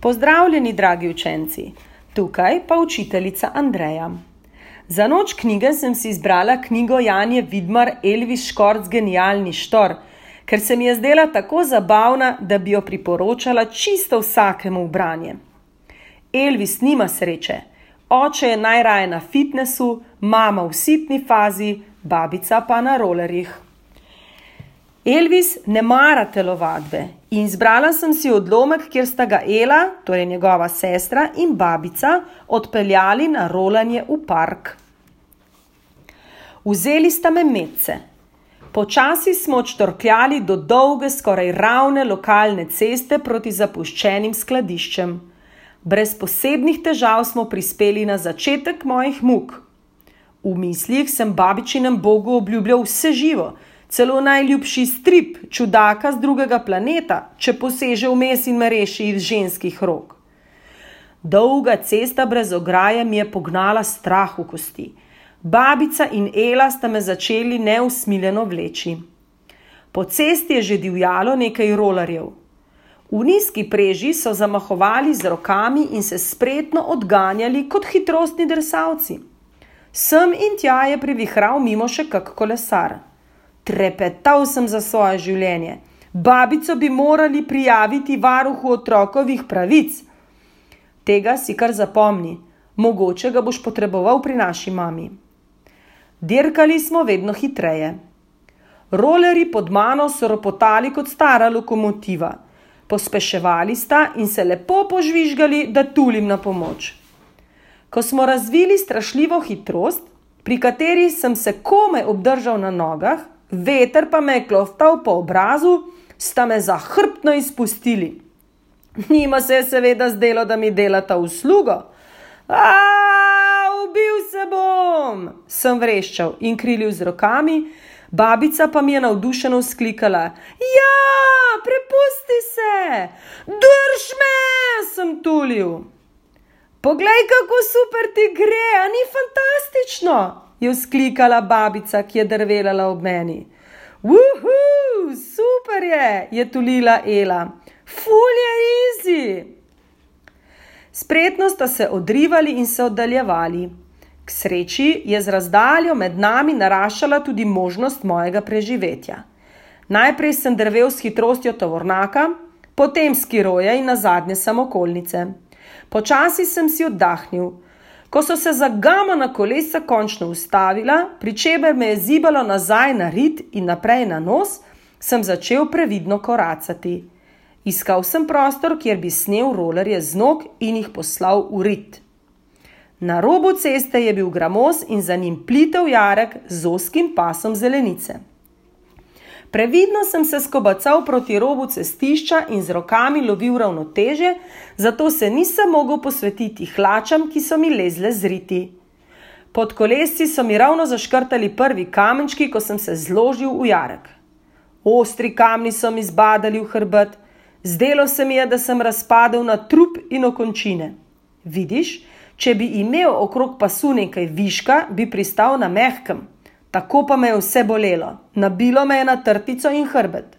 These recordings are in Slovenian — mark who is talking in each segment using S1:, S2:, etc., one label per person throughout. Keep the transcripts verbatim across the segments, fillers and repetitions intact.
S1: Pozdravljeni, dragi učenci, tukaj pa učiteljica Andreja. Za noč knjige sem si izbrala knjigo Janje Vidmar Elvis Škorc Genialni štor, ker se mi je zdela tako zabavna, da bi jo priporočala čisto vsakemu v branje. Elvis nima sreče, oče je najraje na fitnesu, mama v sitni fazi, babica pa na rolerjih. Elvis ne mara telovadbe in izbrala sem si odlomek, kjer sta ga Ela, torej njegova sestra, in babica odpeljali na rolanje v park. Vzeli sta me medse. Počasi smo odštorkljali do dolge, skoraj ravne lokalne ceste proti zapuščenim skladiščem. Brez posebnih težav smo prispeli na začetek mojih muk. V mislih sem babičinem Bogu obljubljal vse živo, celo najljubši strip, čudaka z drugega planeta, če poseže vmes in me reši iz ženskih rok. Dolga cesta brez ograje mi je pognala strah v kosti. Babica in Ela sta me začeli neusmiljeno vleči. Po cesti je že divjalo nekaj rolerjev. V nizki preži so zamahovali z rokami in se spretno odganjali kot hitrostni drsalci. Sem in tja je privihral mimo še kak kolesar. Trepetal sem za svoje življenje. Babico bi morali prijaviti varuhu otrokovih pravic. Tega si kar zapomni. Mogoče ga boš potreboval pri naši mami. Dirkali smo vedno hitreje. Rolerji pod mano so ropotali kot stara lokomotiva. Pospeševali sta in se lepo požvižgali, da tulim na pomoč. Ko smo razvili strašljivo hitrost, pri kateri sem se komaj obdržal na nogah, veter pa me je kloftal po obrazu, sta me zahrbtno izpustili. Njima se je seveda zdelo, da mi delata uslugo. Aaaa, ubil se bom, sem vreščal in krilil z rokami, babica pa mi je navdušeno vzklikala. Ja, prepusti se, drž me, sem tulil. Poglej, kako super ti gre, a ni fantastično? Je vzklikala babica, ki je drvelala ob meni. Uhu, super je, je tulila Ela. Ful je easy. Spretno sta se odrivali in se oddaljevali. K sreči je z razdaljo med nami naraščala tudi možnost mojega preživetja. Najprej sem drvel s hitrostjo tovornjaka, potem skiroja in nazadnje samokolnice. Počasi sem si oddahnil. Ko so se zagamana kolesa končno ustavila, pri čemer me je zibalo nazaj na rit in naprej na nos, sem začel previdno koracati. Iskal sem prostor, kjer bi snel rolerje z nog in jih poslal v rit. Na robu ceste je bil gramoz in za njim plitev jarek z ozkim pasom zelenice. Previdno sem se skobacal proti robu cestišča in z rokami lovil ravnotežje, zato se nisem mogel posvetiti hlačam, ki so mi lezle z riti. Pod kolesci so mi ravno zaškrtali prvi kamenčki, ko sem se zložil v jarek. Ostri kamni so mi zbadali v hrbet. Zdelo se mi je, da sem razpadel na trup in okončine. Vidiš, če bi imel okrog pasu nekaj viška, bi pristal na mehkem. Tako pa me je vse bolelo. Nabilo me je na trtico in hrbet.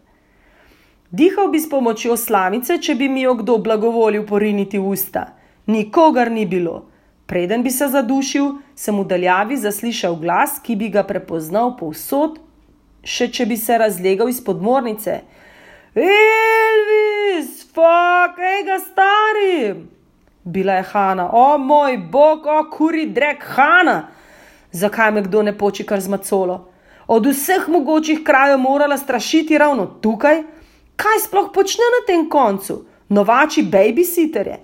S1: Dihal bi s pomočjo slamice, če bi mi jo kdo blagovolil poriniti v usta. Nikogar ni bilo. Preden bi se zadušil, sem v daljavi zaslišal glas, ki bi ga prepoznal povsod, še če bi se razlegal iz podmornice. Elvis, fuck, ej ga stari! Bila je Hana. O moj bog, o kuri drek Hana! Zakaj me kdo ne poči kar z macolo? Od vseh mogočih krajev morala strašiti ravno tukaj? Kaj sploh počne na tem koncu? Novači babysitterje?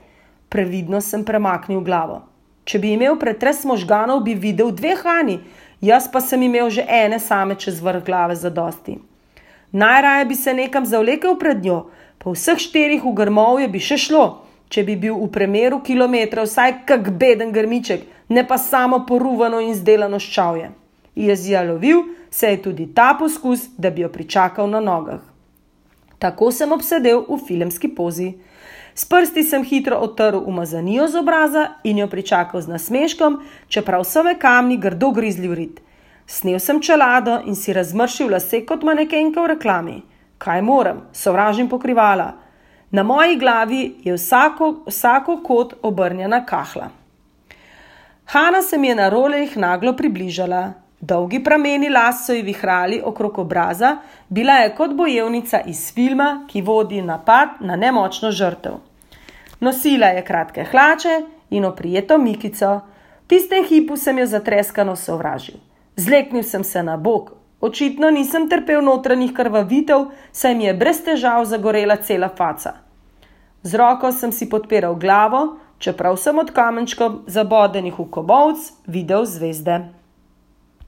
S1: Previdno sem premaknil glavo. Če bi imel pretres možganov, bi videl dve Hani, jaz pa sem imel že ene same čez vrh glave zadosti. Najraje bi se nekam zavlekel pred njo, po vseh štirih v grmovje bi še šlo, če bi bil v premeru kilometrov vsaj kak beden grmiček, ne pa samo poruvano in zdelano ščavje. Jezija lovil se je tudi ta poskus, da bi jo pričakal na nogah. Tako sem obsedel v filmski pozi. S prsti sem hitro otrl umazanijo z obraza in jo pričakal z nasmeškom, čeprav so me kamni grdo grizli v rit. Snel sem čelado in si razmršil lase kot manekenka v reklami. Kaj moram, sovražim pokrivala. Na moji glavi je vsako, vsako kot obrnjena kahla. Hana se mi je na rolerjih naglo približala. Dolgi prameni las so ji vihrali okrog obraza, bila je kot bojevnica iz filma, ki vodi napad na nemočno žrtev. Nosila je kratke hlače in oprijeto mikico. V tistem hipu sem jo zatreskano sovražil. Zleknil sem se na bok. Očitno nisem trpel notranjih krvavitev, saj mi je brez težav zagorela cela faca. Z roko sem si podpiral glavo, čeprav sem od kamenčkov zabodenih v kobovc videl zvezde.